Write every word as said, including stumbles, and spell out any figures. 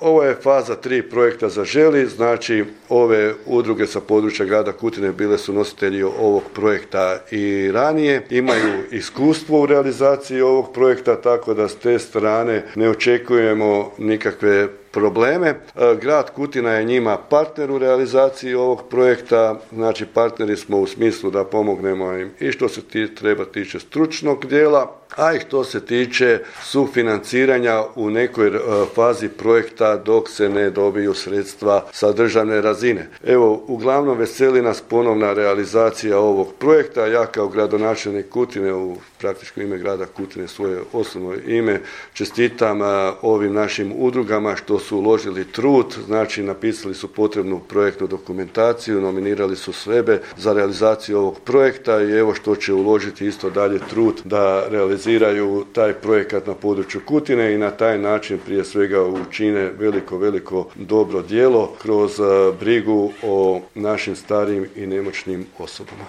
Ovo je faza tri projekta Zaželi, znači ove udruge sa područja grada Kutine bile su nositelji ovog projekta i ranije, imaju iskustvo u realizaciji ovog projekta, tako da s te strane ne očekujemo nikakve probleme. Grad Kutina je njima partner u realizaciji ovog projekta, znači partneri smo u smislu da pomognemo im i što se ti, treba tiče stručnog dijela, a i što se tiče sufinanciranja u nekoj fazi projekta dok se ne dobiju sredstva sa državne razine. Evo, uglavnom veseli nas ponovna realizacija ovog projekta. Ja kao gradonačelnik Kutine, u praktičko ime grada Kutine, svoje osobno ime, čestitam ovim našim udrugama što su uložili trud, znači napisali su potrebnu projektnu dokumentaciju, nominirali su sebe za realizaciju ovog projekta i evo što će uložiti isto dalje trud da realiziraju taj projekat na području Kutine i na taj način prije svega učine veliko, veliko dobro djelo kroz brigu o našim starijim i nemoćnim osobama.